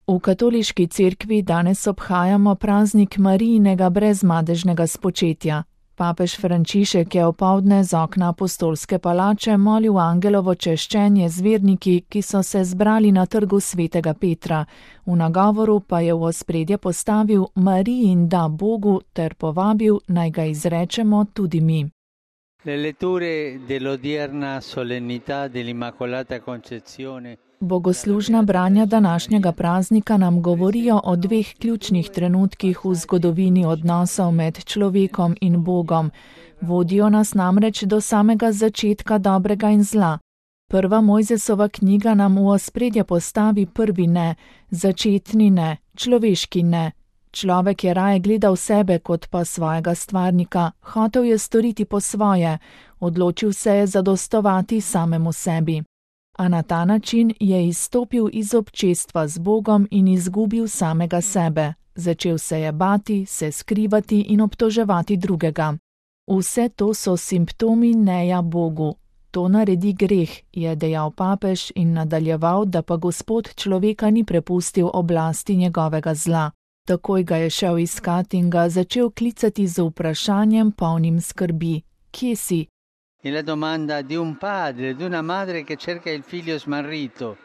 V katoliški cerkvi danes obhajamo praznik Marijinega brezmadežnega spočetja. Papež Frančišek je opoldne z okna apostolske palače molil angelovo češčenje z verniki, ki so se zbrali na trgu svetega Petra. V nagovoru pa je v ospredje postavil Marijin da Bogu ter povabil, naj ga izrečemo tudi mi. Le letture dell'odierna solennità dell'Immacolata Concezione. Bogoslužna branja današnjega praznika nam govorijo o dveh ključnih trenutkih v zgodovini odnosov med človekom in Bogom. Vodijo nas namreč do samega začetka dobrega in zla. Prva Mojzesova knjiga nam v ospredje postavi prvi ne, začetni ne, človeški ne. Človek je raje gledal sebe kot pa svojega stvarnika, hotel je storiti po svoje, odločil se je zadostovati samemu sebi. A na ta način je izstopil iz občestva z Bogom in izgubil samega sebe. Začel se je bati, se skrivati in obtoževati drugega. Vse to so simptomi neja Bogu. To naredi greh, je dejal papež in nadaljeval, da pa Gospod človeka ni prepustil oblasti njegovega zla. Takoj ga je šel iskat in ga začel klicati z vprašanjem polnim skrbi. Kje si? E la domanda di un padre, di una madre che cerca il figlio smarrito.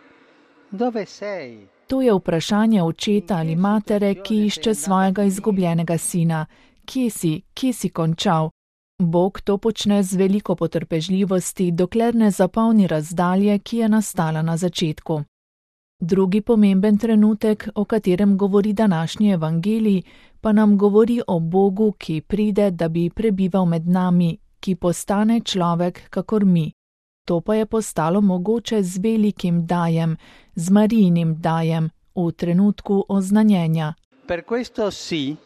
Dove sei? To je vprašanje očeta ali matere, ki išče svojega izgubljenega sina. Kje si končal? Bog to počne z veliko potrpežljivosti, dokler ne zapolni razdalje, ki je nastala na začetku. Drugi pomemben trenutek, o katerem govori današnji evangelij, pa nam govori o Bogu, ki pride, da bi prebival med nami, ki postane človek kakor mi. To pa je postalo mogoče z velikim dajem, z Marijinim dajem, v trenutku oznanjenja. Per questo sì,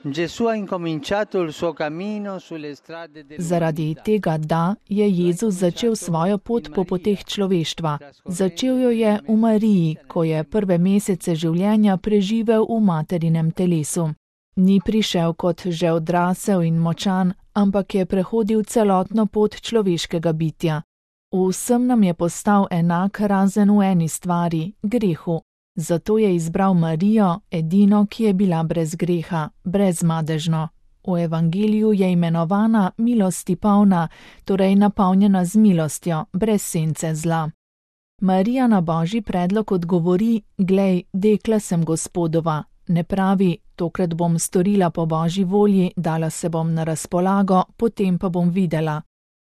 Gesù ha incominciato il suo cammino sulle strade del. Zaradi tega da je Jezus začel svojo pot po poteh človeštva. Začel jo je v Mariji, ko je prve mesece življenja preživel v materinem telesu. Ni prišel kot že odrasel in močan, ampak je prehodil celotno pot človeškega bitja. Vsem nam je postal enak razen v eni stvari, grehu. Zato je izbral Marijo, edino, ki je bila brez greha, brezmadežno. V evangeliju je imenovana milosti polna, torej napolnjena z milostjo, brez sence zla. Marija na Božji predlog odgovori: glej, dekla sem Gospodova. Ne pravi: tokrat bom storila po Božji volji, dala se bom na razpolago, potem pa bom videla.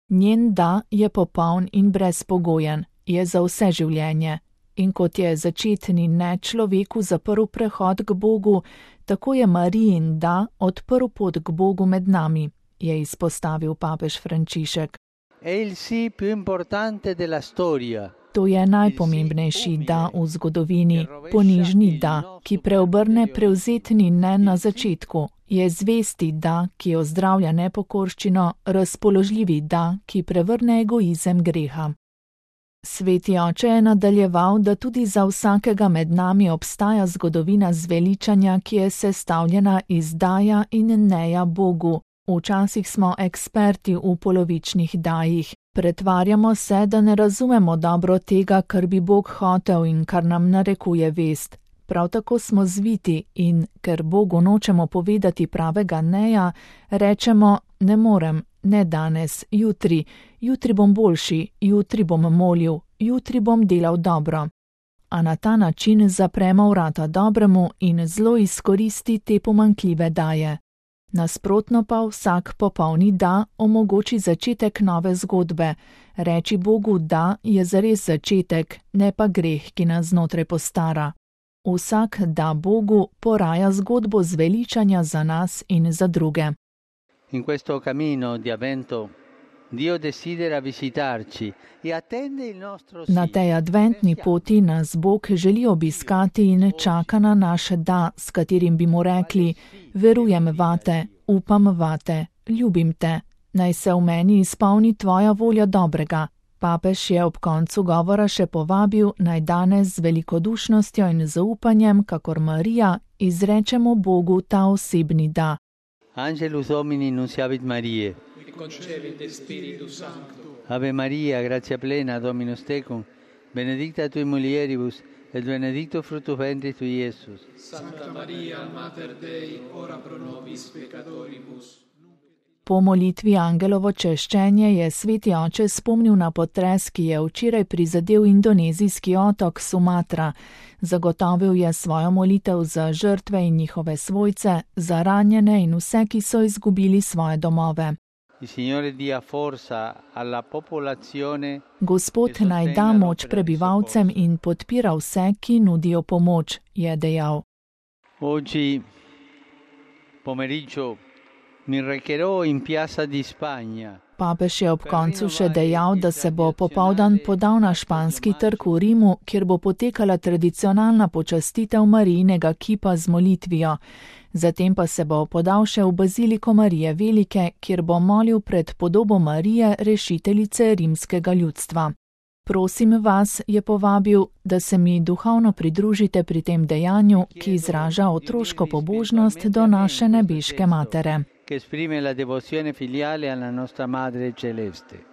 Njen da je popoln in brezpogojen, je za vse življenje. In kot je začetni ne človeku zaprl prehod k Bogu, tako je Marijin da odprl pot k Bogu med nami, je izpostavil papež Frančišek. To je najpomembnejši da v zgodovini, ponižni da, ki preobrne prevzetni ne na začetku, je zvesti da, ki ozdravlja nepokorščino, razpoložljivi da, ki prevrne egoizem greha. Sveti oče je nadaljeval, da tudi za vsakega med nami obstaja zgodovina zveličanja, ki je sestavljena iz daja in neja Bogu. Včasih smo eksperti v polovičnih dajih. Pretvarjamo se, da ne razumemo dobro tega, kar bi Bog hotel in kar nam narekuje vest. Prav tako smo zviti in, ker Bogu nočemo povedati pravega neja, rečemo: ne morem, ne danes, jutri bom boljši, jutri bom molil, jutri bom delal dobro. A na ta način zapremo vrata dobremu in zlo izkoristi te pomanjkljive daje. Nasprotno pa vsak popolni da omogoči začetek nove zgodbe. Reči Bogu da je zares začetek, ne pa greh, ki nas znotraj postara. Vsak da Bogu poraja zgodbo zveličanja za nas in za druge. In questo cammino di avvento Dio desidera visitarci e attende il nostro sì. Na tej adventni poti nas Bog želi obiskati in čaka na naš da, s katerim bi mu rekli: verujem vate, upam vate, ljubim te, naj se v meni izpolni tvoja volja dobrega. Papež je ob koncu govora še povabil, naj danes z velikodušnostjo in zaupanjem, kakor Marija, izrečemo Bogu ta osebni da. Angelus Domini nunciavit Mariae. Concepit Spiritus Sancto. Ave Maria, gratia plena, Dominus tecum, benedicta tui mulieribus, et benedictus fructus ventris tui, Iesus. Sancta Maria, Mater Dei, ora pro nobis peccatoribus. Po molitvi angelovo češčenje je sveti oče spomnil na potres, ki je včeraj prizadel indonezijski otok Sumatra. Zagotovil je svojo molitev za žrtve in njihove svojce, za ranjene in vse, ki so izgubili svoje domove. Gospod naj da moč prebivalcem in podpira vse, ki nudijo pomoč, je dejal. Oggi pomeriggio mi recherò in Piazza di Spagna. Papež je ob koncu še dejal, da se bo popoldan podal na španski trg v Rimu, kjer bo potekala tradicionalna počastitev Marijinega kipa z molitvijo. Zatem pa se bo podal še v baziliko Marije Velike, kjer bo molil pred podobo Marije, rešiteljice rimskega ljudstva. Prosim vas, je povabil, da se mi duhovno pridružite pri tem dejanju, ki izraža otroško pobožnost do naše nebeške matere. Che esprime la devozione filiale alla nostra Madre Celeste.